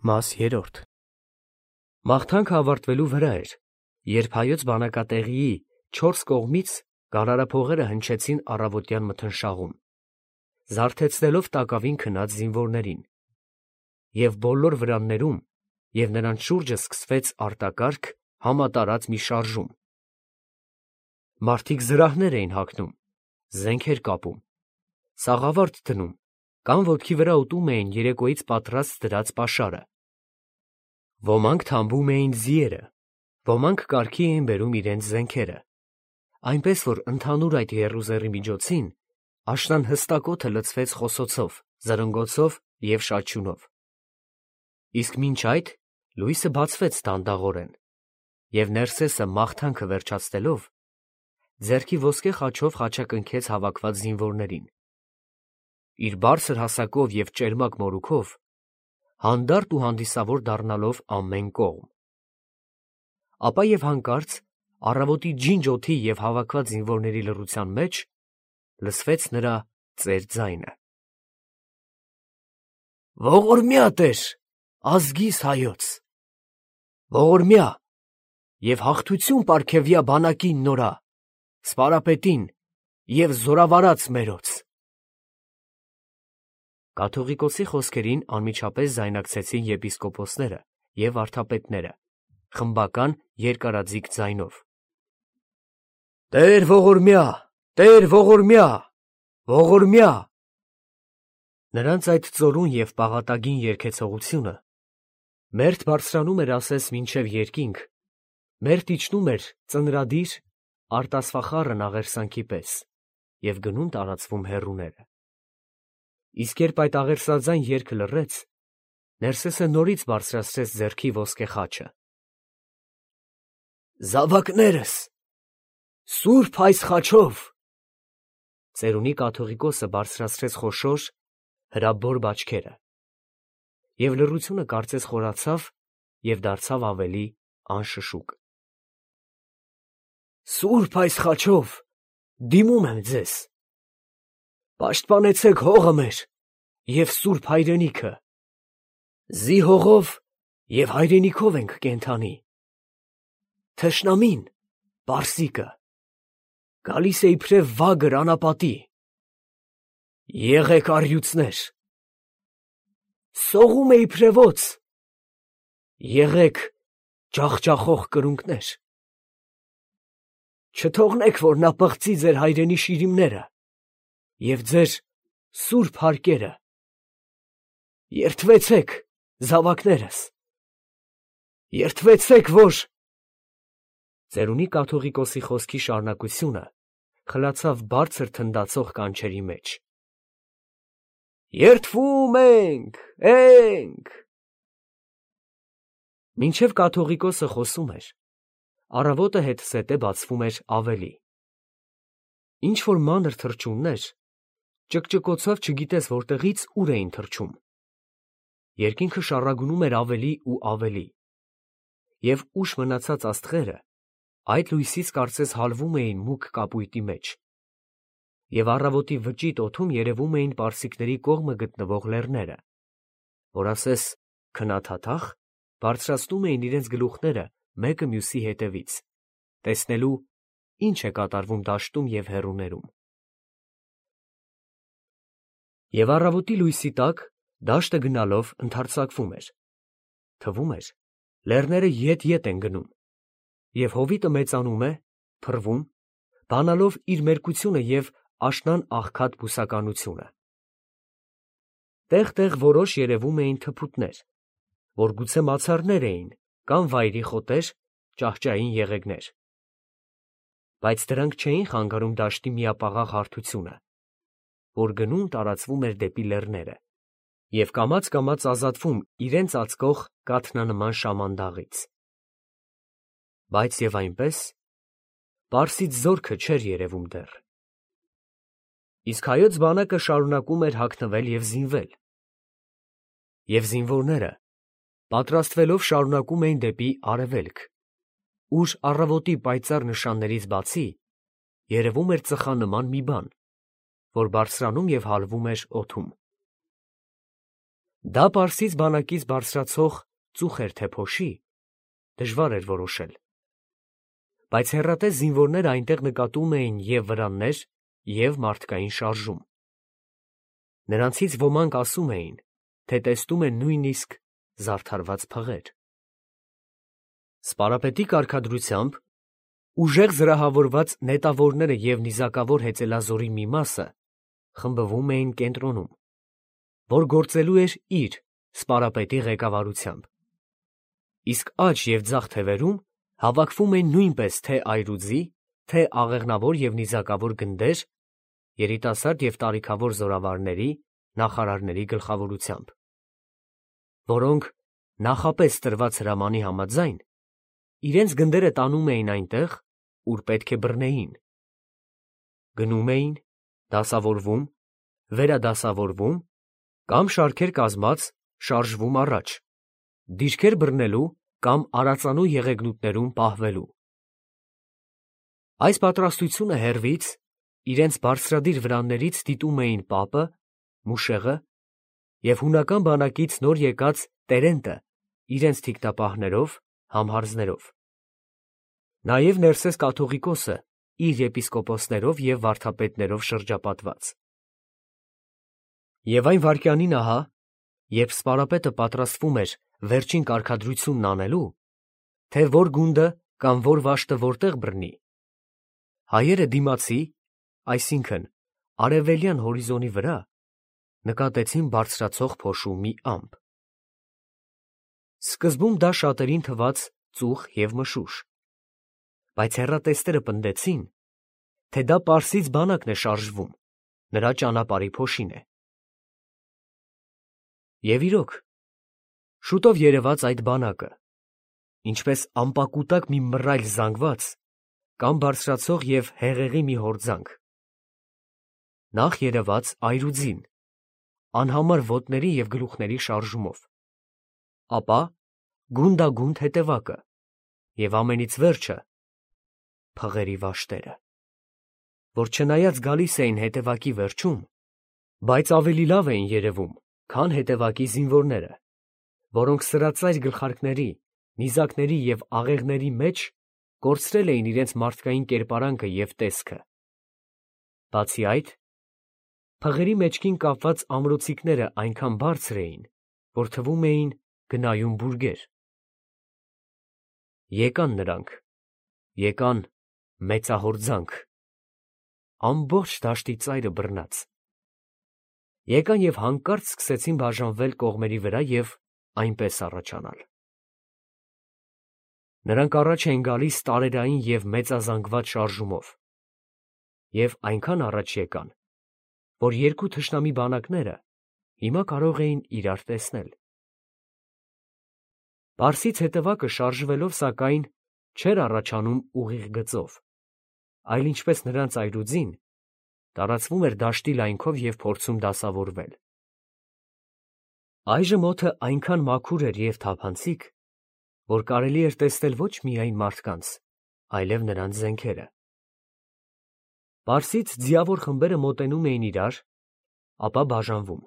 Մաս 3 Մաղթանքը ավարտվելու վրա էր, երբ հայոց բանակատեղիի 4 կողմից գարարափողերը հնչեցին առավոտյան մթնշաղում, զարթեցնելով տակավին քնած զինվորներին, և բոլոր վրաններում և նրանց շուրջը սկսվեց արտակարգ, համատարած մի շարժում. մարդիկ զրահներ էին հագնում, զենքեր կապում, սաղավարտ դնում կամ ոտքի վրա ուտում էին երեկոյից պատրաստ դրած պաշարը. ոմանք թամբում էին ձիերը, ոմանք կարգի էին բերում իրենց զենքերը, այնպես որ ընդհանուր այդ եռուզեռի միջոցին աշնան հստակ օդը լցվեց խոսոցով, զրնգոցով և շաչյունով. իսկ մինչ այդ լույսը բացվեց դանդաղորեն, և Ներսեսը մաղթանքը վերջացնելով, ձեռքի ոսկե խաչով խաչակնքեց հավաքված զինվորներին, իր բարձր հասակով և ճերմակ մորուքով, հանդարտ ու հանդիսավոր դառնալով ամեն կողմ. ապա և հանկարծ առավոտի ջինջ օդի և հավաքված զինվորների լռության մեջ լսվեց նրա ծեր ձայնը. «Ողորմյա Տեր, ազգիս հայոց, ողորմյա և հաղթություն պարգևյա բանակին նորա, սպարապետին և զորավարած մերոց»։ Կաթողիկոսի խոսքերին անմիջապես ձայնակցեցին եպիսկոպոսները և վարդապետները, խմբական երկարաձիգ ձայնով. «Տեր ողորմյա, Տեր ողորմյա, ողորմյա»։ Նրանց այդ ծորուն և պաղատագին երգեցողությունը մերթ բարձրանում էր ասես մինչև երկինք, մերթ իջնում էր ծնրադիր, արտասվախառն աղերսանքի պես և գնում տարածվում հեռուները. իսկ երբ այդ աղերսաձայն երգը լռեց, Ներսեսը նորից բարձրացրեց ձեռքի ոսկե խաչը. «Զավակներս, սուրբ այս խաչով…» ծերունի կաթողիկոսը բարձրացրեց խոշոր, հրաբոր բաճկերը, և լռությունը կարծես խորացավ և դարձավ ավելի անշշուկ. «Սուրբ այս խաչով դիմում եմ ձեզ, պաշտպանեցեք հողը մեր և սուրբ հայրենիքը, զի հողով և հայրենիքով ենք կենդանի, թշնամին, պարսիկը, գալիս է իբրև վագր անապատի, եղեք առյուծներ, սողում է իբրև օձ, եղեք ջախջախող կրունկներ, չթողնեք, որ նա պղծի ձեր հայրենի շիրիմները և ձեր սուրբ հարկերը, երդվեցեք, զավակներս, երդվեցեք, որ…» Ծերունի կաթողիկոսի խոսքի շարունակությունը խլացավ բարձր թնդացող կանչերի մեջ. «Երդվում ենք… Մինչև կաթողիկոսը խոսում էր, առավոտը հետզհետե բացվում էր ավելի. ինչ-որ մանր թռչուններ ճկճկոցով չգիտես որտեղից ուր էին թռչում, երկինքը շառագնում էր ավելի ու ավելի, և ուշ մնացած աստղերը այդ լույսից կարծես հալվում էին մուգ կապույտի մեջ, և առավոտի վճիտ օդում երևում էին պարսիկների կողմը գտնվող լեռները, որ ասես քնաթաթախ բարձրացնում էին իրենց գլուխները մեկը մյուսի ետևից, տեսնելու, ինչ է կատարվում դաշտում և հեռուներում։ Եվ առավոտի լույսի տակ դաշտը գնալով ընդարձակվում էր, թվում էր, լեռները ետ են գնում, և հովիտը մեծանում է, փռվում, բանալով իր մերկությունը և աշնան աղքատ բուսականությունը։ Տեղ֊տեղ որոշ երևում էին թփուտներ, որ գուցե մացառներ էին կամ վայրի խոտեր, ճահճային եղեգներ, բայց դրանք չէին խանգարում դաշտի միապաղաղ հարթությունը, որ գնում տարածվում էր դեպի լեռները և կամաց ազատվում իրենց ծածկող կաթնանման շամանդաղից։ Բայց և այնպես, պարսից զորքը չէր երևում դեռ։ Իսկ հայոց բանակը շարունակում էր հագնվել և զինվել, և զինվորները պատրաստվելով շարունակում էին դեպի արևելք, ուր առավոտի պայծառ նշաններից բացի երևում էր ծխանման մի բան, որ բարձրանում և հալվում էր օդում։ Դա Պարսից բանակից բարձրացող ծուխ էր թե փոշի, դժվար էր որոշել, բայց հեռատես զինվորները այնտեղ նկատում էին և վրաններ, և մարդկային շարժում։ Նրանցից ոմանք ասում էին, թե տեսնում են նույնիսկ զարդարված փղեր։ Սպարապետի կարգադրությամբ ուժեղ զրահավորված նետավորները և նիզակավոր հեծելազորի մի մասը խմբվում էին կենտրոնում, որ գործելու էր իր սպարապետի ղեկավարությամբ, իսկ աջ և ձախ թևերում հավաքվում էին նույնպես թե այրուձի, թե աղեղնավոր և նիզակավոր գնդեր երիտասարդ և տարիքավոր զորավարների, նախարարների գլխավորությամբ, որոնք նախապես տրված հրամանի համաձայն իրենց գնդերը տանում էին այնտեղ, ուր պետք է բռնեին, գնում էին, դասավորվում, վերադասավորվում կամ շարքեր կազմած շարժվում առաջ, դիրքեր բռնելու կամ արածանու եղեգնուտներում պահվելու։ Այս պատրաստությունը հեռվից իրենց բարձրադիր վրաններից դիտում էին պապը, մուշեղը և հունական բանակից նոր եկած Տերենտը իրենց թիկնապահներով, համհարձներով, նաև Ներսես կաթողիկոսը իր եպիսկոպոսներով և վարդապետներով շրջապատված։ Եվ այն վայրկյանին ահա, երբ սպարապետը պատրաստվում էր վերջին կարգադրությունն անելու, թե որ գունդը կամ որ վաշտը որտեղ բռնի, հայերը դիմացի, այսինքն արևելյան հորիզոնի վրա նկատեցին բարձրացող փոշու մի ամպ։ Սկզբում դա շատերին թվաց ծուխ և մշուշ, բայց հեռատեսները պնդեցին, թե դա պարսից բանակն է շարժվում, նրա ճանապարհի փոշին է։ Եվ իրոք, շուտով երևաց այդ բանակը, ինչպես ամպակուտակ մի մռայլ զանգված կամ բարձրացող և հեղեղի մի հորձանք։ Նախ երևաց այրուձին, անհամար ոտների և գլուխների շարժումով, ապա գունդագունդ հետևակը և ամենից վերջը փղերի վաշտերը, որ չնայած գալիս էին հետևակի վերջում, բայց ավելի լավ էին երևում, քան հետևակի զինվորները, որոնք սրածայր գլխարկների, նիզակների և աղեղների մեջ կորցրել էին իրենց մարդկային կերպարանքը և տեսքը։ Բացի այդ, փղերի մեջքին կապված ամրոցիկները այնքան բարձր էին, որ թվում էին գնայուն բուրգեր։ Եկան նրանք, եկան մեծահորձանք, ամբողջ դաշտի ծայրը բռնած, եկան և հանկարծ սկսեցին բաժանվել կողմերի վրա և այնպես առաջանալ։ Նրանք առաջ էին գալիս տարերային և մեծազանգված շարժումով և այնքան առաջ եկան, որ երկու թշնամի բանակները հիմա կարող էին իրար տեսնել։ Պարսից հետևակը շարժվելով, սակայն, չէր առաջանում ուղիղ գծով, այլ ինչպես նրանց այրուձին, տարածվում էր դաշտի լայնքով և փորձում դասավորվել։ Այժմ օդը այնքան մաքուր էր և թափանցիկ, որ կարելի էր տեսնել ոչ միայն մարդկանց, այլև նրանց զենքերը։ Պարսից ձիավոր խմբերը մոտենում էին իրար, ապա բաժանվում։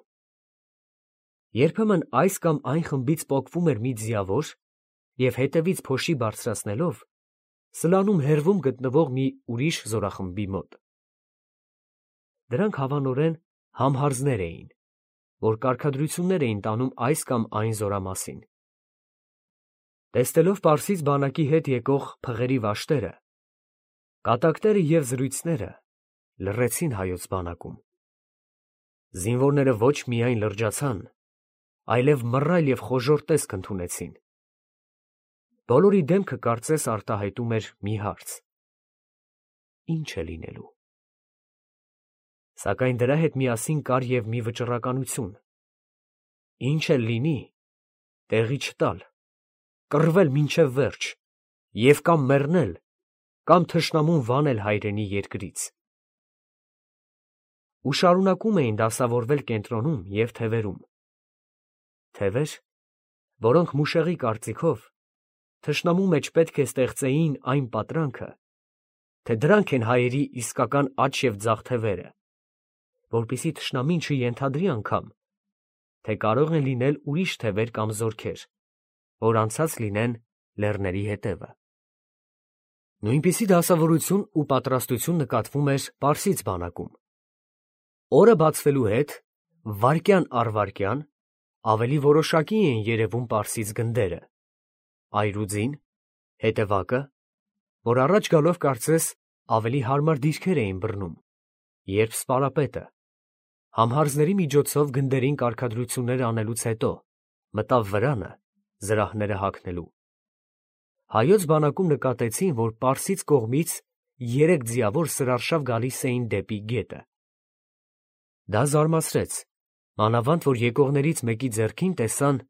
Երբեմն այս կամ այն խմբից պոկվում էր մի ձիավոր և հետևից փոշի բարձրացնելով սլանում հեռվում գտնվող մի ուրիշ զորախմբի մոտ։ Դրանք հավանորեն համհարձներ էին, որ կարգադրություններ էին տանում այս կամ այն զորամասին։ Տեսնելով պարսից բանակի հետ եկող փղերի վաշտերը, կատակները և զրույցները լռեցին հայոց բանակում։ Զինվորները ոչ միայն լրջացան, այլև մռայլ և խոժոռ տեսք ընդունեցին։ Բոլորի դեմքը կարծես արտահայտում էր մի հարց. ի՞նչ է լինելու։ Սակայն դրա հետ միասին կար և մի վճռականություն. ինչ էլ լինի, տեղի չտալ, կռվել մինչև վերջ և կամ մեռնել, կամ թշնամուն վանել հայրենի երկրից։ Ու շարունակում էին դասավորվել կենտրոնում և թևերում, թևեր, որոնք մուշեղի կարծիքով թշնամու մեջ պետք է ստեղծեին այն պատրանքը, թե դրանք են հայերի իսկական աջ և ձախ թևերը, որպեսզի թշնամին չենթադրի անգամ, թե կարող են լինել ուրիշ թևեր կամ զորքեր, որ անցած լինեն լեռների հետևը։ Նույնպիսի դասավորություն ու պատրաստություն նկատվում էր Պարսից բանակում։ Օրը բացվելու հետ, վայրկյան առ վայրկյան, ավելի որոշակի էին երևում Պարսից գնդերը, այրուձին, հետևակը, որ առաջ գալով կարծես ավելի հարմար դիրքեր էին բռնում, երբ սպարապետը, համհարզների միջոցով գնդերին կարգադրություններ անելուց հետո, մտավ վրանը, զրահները հագնելու։ Հայոց բանակում նկատեցին, որ Պարսից կողմից 3 ձիավոր սրարշավ գալիս էին դեպի գետը։ Դա զարմացրեց, մանավանդ որ եկողներից մեկի ձեռքին տեսան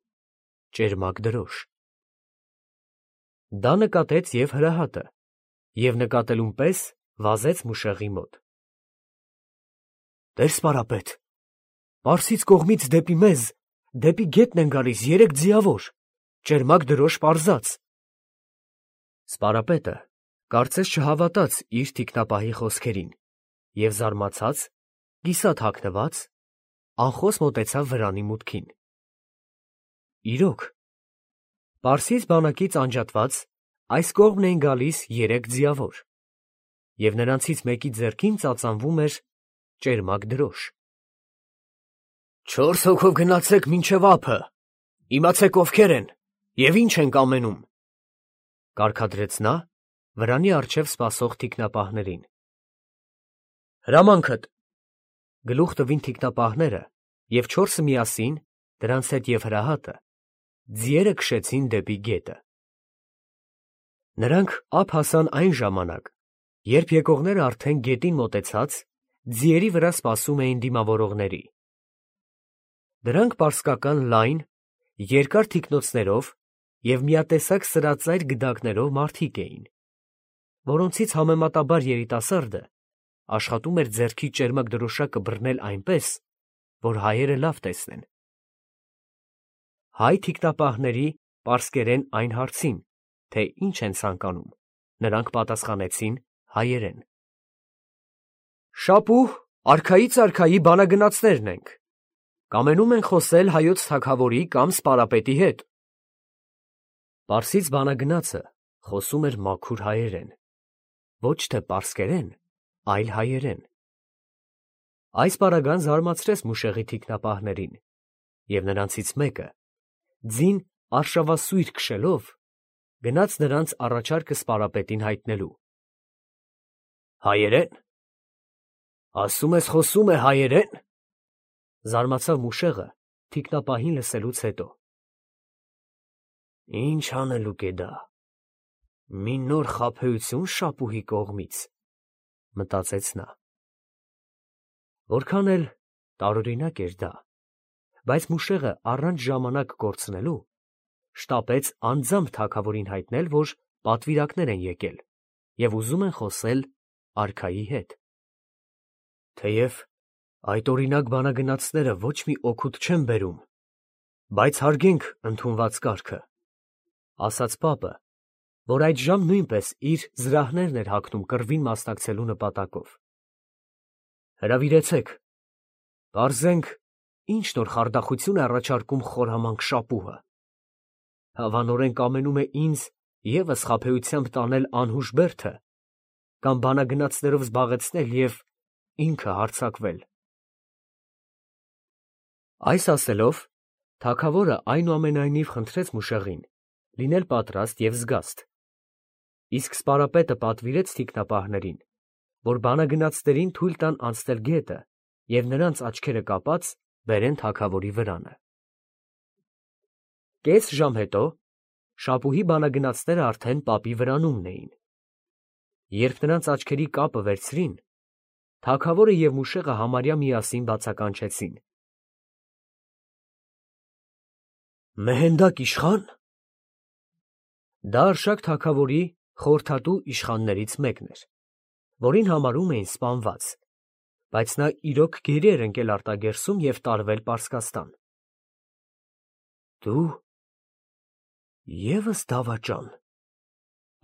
ճերմակ դրոշ։ Դա նկատեց և Հրահատը, և նկատելուն պես վազեց Մուշեղի մոտ։ Տեր սպարապետ, Պարսից կողմից դեպի մեզ, դեպի գետն են գալիս 3 ձիավոր, ճերմակ դրոշ պարզած։ Սպարապետը կարծես չհավատաց իր թիկնապահի խոսքերին և զարմացած, կիսատ հագնված, անխոս մոտեցավ վրանի մուտքին։ Իրոք, Պարսից բանակից անջատված այս կողմն էին գալիս 3 ձիավոր, և նրանցից մեկի ձեռքին ծածանվում էր ճերմակ դրոշ։ 4 հոգով գնացեք մինչև ափը, իմացեք ովքեր են և ինչ են կամենում, կարգադրեց նա վրանի առջև սպասող թիկնապահներին։ Հրամանքդ, գլուխ տվին թիկնապահները, և 4-ը միասին, դրանց հետ և Հրահատը, ձիերը քշեցին դեպի գետը։ Նրանք ափ հասան այն ժամանակ, երբ եկողները արդեն գետին մոտեցած, ձիերի վրա սպասում էին դիմավորողների։ Դրանք պարսկական լայն, երկար թիկնոցներով և միատեսակ սրածայր գդակներով մարդիկ էին, որոնցից համեմատաբար երիտասարդը աշխատում էր ձեռքի ճերմակ դրոշակը բռնել այնպես, որ հայերը լավ տեսնեն։ Հայ թիկնապահների պարսկերեն այն հարցին, թե ինչ են ցանկանում, նրանք պատասխանեցին հայերեն. Շապուհ, արքայից արքայի բանագնացներն ենք, կամենում ենք խոսել հայոց թագավորի կամ սպարապետի հետ։ Պարսից բանագնացը խոսում էր մաքուր հայերեն, ոչ թե պարսկերեն, այլ հայերեն։ Այս պարագան զարմացրեց Մուշեղի թիկնապահներին, և նրանցից մեկը, ձին արշավասույր քշելով, գնաց նրանց առաջարկը սպարապետին հայտնելու։ Հայերեն, ասում ես խոսում է հայերեն, զարմացավ Մուշեղը թիկնապահին լսելուց հետո։ Ինչ անելուկ է դա, մի նոր խաբեություն շապուհի կողմից, մտածեց նա։ Որքան էլ տարօրինակ էր դա, բայց Մուշեղը առանց ժամանակ կորցնելու, շտապեց անձամբ թագավորին հայտնել, որ պատվիրակներ են եկել և ուզում են խոսել արքայի հետ։ Թեև այդ օրինակ բանագնացները ոչ մի օգուտ չեն բերում, բայց հարգենք ընդունված կարգը, ասաց պապը, որ այդժամ նույնպես իր զրահներն էր հագնում կռվին մասնակցելու նպատակով։ Հրավիրեցեք, պարզենք, ինչ նոր խարդախություն է առաջարկում խորամանկ շապուհը։ Հավանորեն կամենում է ինձ ևս խաբեությամբ տանել անհուժ բերդը կամ բանագնացներով զբաղեցնել և ինքը հարձակվել։ Այս ասելով, թագավորը այնուամենայնիվ խնդրեց Մուշեղին լինել պատրաստ և զգաստ, իսկ սպարապետը պատվիրեց թիկնապահներին, որ բանագնացներին թույլ տան անցնել գետը և նրանց աչքերը կապած բերեն թագավորի վրանը։ Կես ժամ հետո շապուհի բանագնացները արդեն պապի վրանումն էին։ Երբ նրանց աչքերի կապը վերցրին, թագավորը և Մուշեղը համարյա միասին բացականչեցին. Մեհենդակ իշխա՞ն։ Դա Արշակ թագավորի խորհրդատու իշխաններից մեկն էր, որին համարում էին սպանված, բայց նա իրոք գերի էր ընկել արտագերսում և տարվել Պարսկաստան։ Դու ևս դավաճան,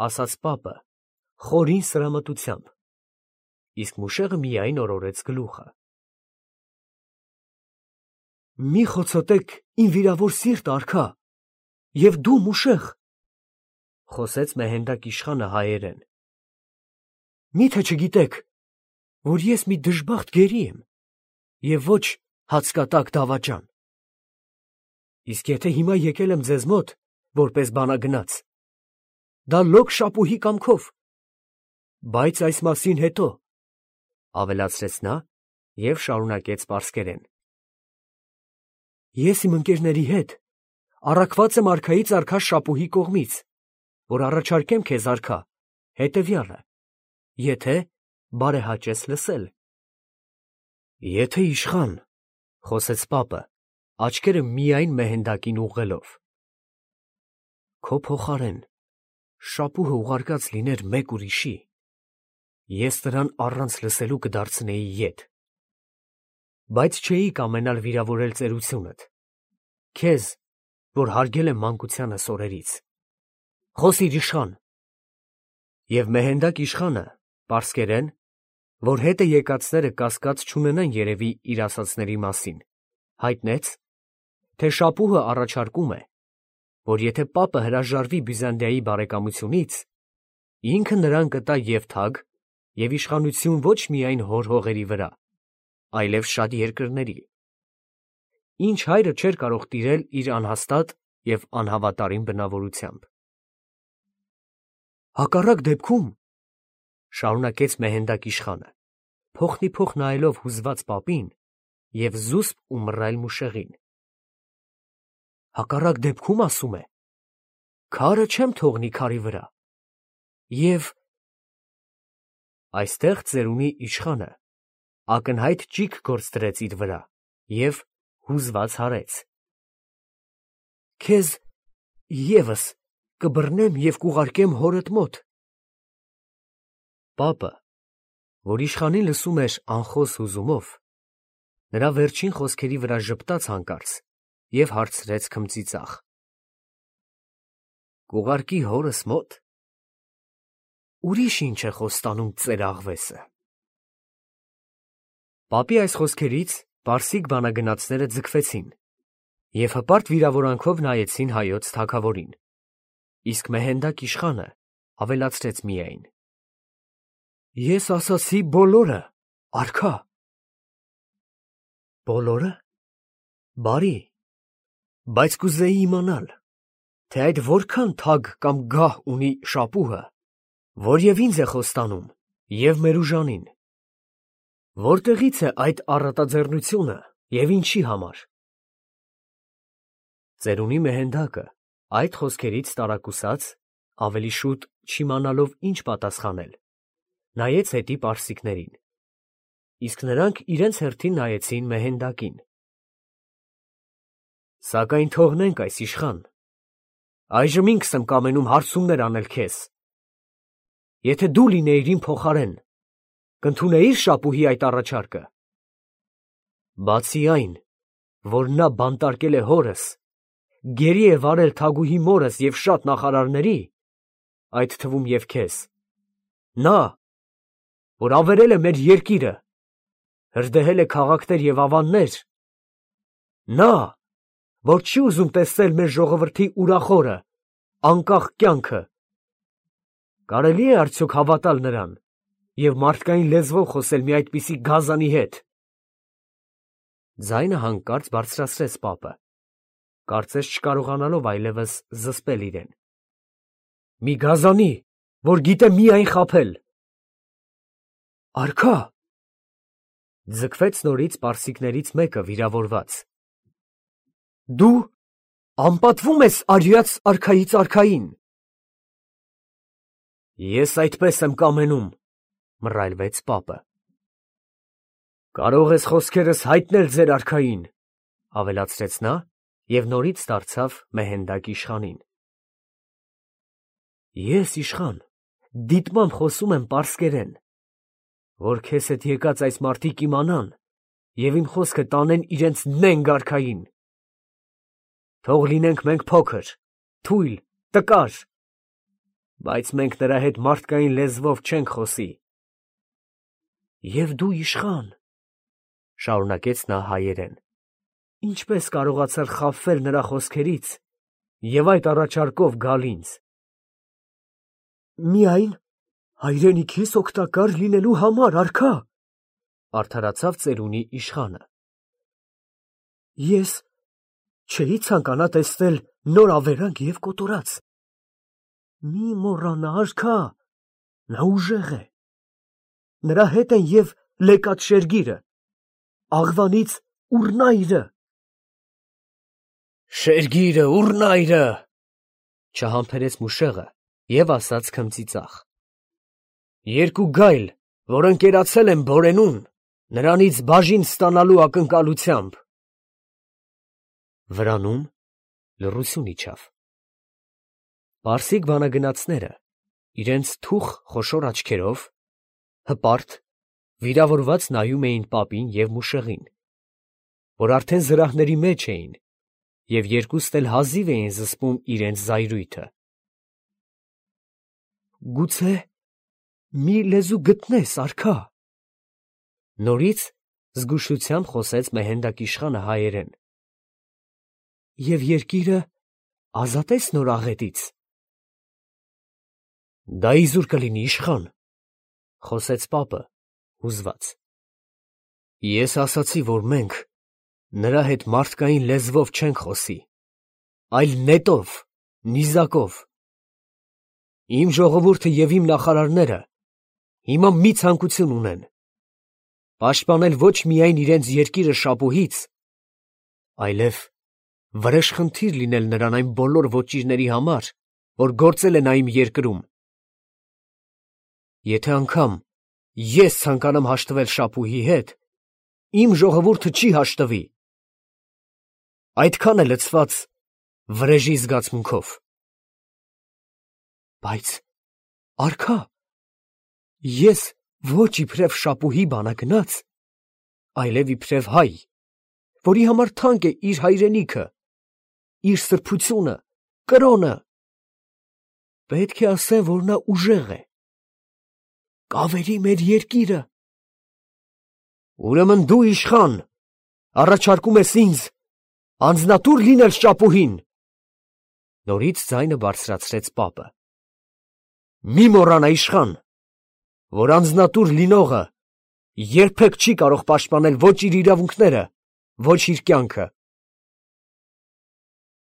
ասաց պապը խորին սրամտությամբ, իսկ Մուշեղը միայն օրորեց գլուխը։ Մի խոցոտեք իմ վիրավոր սիրտ, արքա, և դու մուշեղ, խոսեց Մեհենդակ իշխանը հայերեն։ Մի՞թե չգիտեք, որ ես մի դժբախտ գերի եմ, և ոչ հացկատակ դավաճան։ Իսկ եթե հիմա եկել եմ ձեզ մոտ, որպես բանագնաց, դա լոկ շապուհի կամքով, բայց այս մասին հետո, ավելացրեց նա և շարունակեց պարսկերեն. Ես իմ ընկերների հետ առաքված եմ արքայից արքա շապուհի կողմից, որ առաջարկեմ քեզ, արքա, հետևյալը, եթե բարեհաճես լսել։ Եթե իշխան, խոսեց պապը, աչքերը միայն Մեհենդակին ուղղելով, քո փոխարեն շապուհը ուղարկած լիներ մեկ ուրիշի, ես նրան առանց լսելու կդարձնեի ետ, բայց չէի կամենալ վիրավորել ծերությունդ, քեզ, որ հարգել եմ մանկությանս օրերից։ Խոսիր, իշխան։ Եվ Մեհենդակ իշխանը, պարսկերեն, որ հետը եկածները կասկած չունենան երևի իր ասածների մասին, հայտնեց, թե շապուհը առաջարկում է, որ եթե պապը հրաժարվի Բյուզանդիայի բարեկամությունից, ինքը նրան կտա և թագ, և իշխանություն ոչ միայն հոր հողերի վրա, այլև շատ երկրների, ինչ հայրը չէր կարող տիրել իր անհաստատ և անհավատարիմ բնավորությամբ։ Հակառակ դեպքում, շարունակեց Մեհենդակ իշխանը, փոխնիփոխ նայելով հուզված պապին և զուսպ ու մռայլ մուշեղին, հակառակ դեպքում, ասում է, քարը չեմ թողնի քարի վրա, և… Այստեղ ծերունի իշխանը ակնհայտ ճիգ գործ դրեց իր վրա և հուզված հարեց. Քեզ ևս կբռնեմ և կուղարկեմ հորդ մոտ։ Պապը, որ իշխանին լսում էր անխոս հուզումով, նրա վերջին խոսքերի վրա ժպտաց հանկարծ և հարցրեց քմծիծաղ. Կուղարկի հորս մոտ… Ուրիշ ինչ է խոստանում ծեր աղվեսը։ Պապի այս խոսքերից պարսիկ բանագնացները ձգվեցին և հպարտ վիրավորանքով նայեցին հայոց թագավորին, իսկ Մեհենդակ իշխանը ավելացրեց միայն. Ես ասացի բոլորը, արքա։ Բոլորը… Բարի, բայց կուզեի իմանալ, թե այդ որքան թագ կամ գահ ունի շապուհը, որ և ինձ է խոստանում, և մեր ուժանին, որտեղից է այդ առատաձեռնությունը և ինչի համար։ Ծերունի Մեհենդակը այդ խոսքերից տարակուսած, ավելի շուտ չիմանալով ինչ պատասխանել, նայեց հետի պարսիկներին, իսկ նրանք իրենց հերթին նայեցին Մեհենդակին։ Սակայն թողնենք այս, իշխան, այժմ ինքս եմ կամենում հարցումներ անել քեզ. եթե դու լինեիր իմ փոխարեն, կընդունեի՞ր շապուհի այդ առաջարկը։ Բացի այն, որ նա բանտարկել է հորս, գերի է վարել թագուհի մորս և շատ նախարարների, այդ թվում և քեզ, նա, որ ավերել է մեր երկիրը, հրդեհել է քաղաքներ և ավաններ, նա, որ չի ուզում տեսնել մեր ժողովրդի ուրախորը, անկախ կյանքը, կարելի՞ է արդյոք հավատալ նրան և մարդկային լեզվով խոսել մի այդպիսի գազանի հետ։ Ձայնը հանկարծ բարձրացրեց պապը, կարծես չկարողանալով այլևս զսպել իրեն։ Մի գազանի, որ գիտե միայն խաբել։ Արքա… Ձգվեց նորից պարսիկներից մեկը վիրավորված։ Դու անպատվում ես արյաց արքայից արքային։ Ես այդպես եմ կամենում, մռայլվեց պապը։ Կարող ես խոսքերս հայտնել ձեր արքային, ավելացրեց նա և նորից դարձավ Մեհենդակ իշխանին։ Ես, իշխան, դիտմամբ խոսում եմ պարսկերեն, որ քեզ հետ եկած այս մարդիկ իմանան և իմ խոսքը տանեն իրենց նենգ արքային։ Թող լինենք մենք փոքր, թույլ, տկար, բայց մենք նրա հետ մարդկային լեզվով չենք խոսի։ Եվ դու, իշխան, շարունակեց նա հայերեն, ինչպես կարողացար խաբվել նրա խոսքերից և այդ առաջարկով գալ ինձ։ Միայն հայրենիքիս օգտակար լինելու համար, արքա, արդարացավ ծերունի իշխանը։ Ես չէի ցանկանա տեսնել նոր ավերակ և կոտորած։ Մի մոռանա, արքա, նա ուժեղ է։ Նրա հետ են և Լեկատ շերգիրը, աղվանից Ուռնայրը։ Շերգիրը, Ուռնայրը, չհամբերեց Մուշեղը և ասաց քմծիծաղ. երկու գայլ, որ ընկերացել են Բորենուն, նրանից բաժին ստանալու ակնկալությամբ։ Վրանում լռություն իջավ։ Պարսիկ բանագնացները իրենց թուխ խոշոր աչքերով հպարտ, վիրավորված նայում էին պապին և Մուշեղին, որ արդեն զրահների մեջ էին և երկուստ էլ հազիվ էին զսպում իրենց զայրույթը։ Գուցե մի լեզու գտնես, արքա, նորից զգուշությամբ խոսեց Մեհենդակ իշխանը հայերեն, և երկիրը ազատես նոր աղետից։ Դա իզուր կլինի, իշխան, խոսեց պապը հուզված։ Ես ասացի, որ մենք նրա հետ մարդկային լեզվով չենք խոսի, այլ նետով, նիզակով։ Իմ ժողովուրդը և իմ նախարարները հիմա մի ցանկություն ունեն. պաշտպանել ոչ միայն իրենց երկիրը շապուհից, այլև վրեժխնդիր լինել նրան այն բոլոր ոճիրների համար, որ գործել են այն երկրում։ Եթե անգամ ես ցանկանամ հաշտվել շապուհի հետ, իմ ժողովուրդը չի հաշտվի։ Այդքան է լցված վրեժի զգացմունքով։ Բայց, արքա, ես ոչ իբրև շապուհի բանագնաց, այլև իբրև հայ, որի համար թանկ է իր հայրենիքը, իր սրբությունը, կրոնը, պետք է ասեմ, որ նա ուժեղ է, կավերի մեր երկիրը։ Ուրեմն դու, իշխան, առաջարկում ես ինձ անձնատուր լինել շապուհին։ Նորից ձայնը բարձրացրեց պապը։ Մի մոռանա, իշխան, որ անձնատուր լինողը երբեք չի կարող պաշտպանել ոչ իր իրավունքները, ոչ իր կյանքը։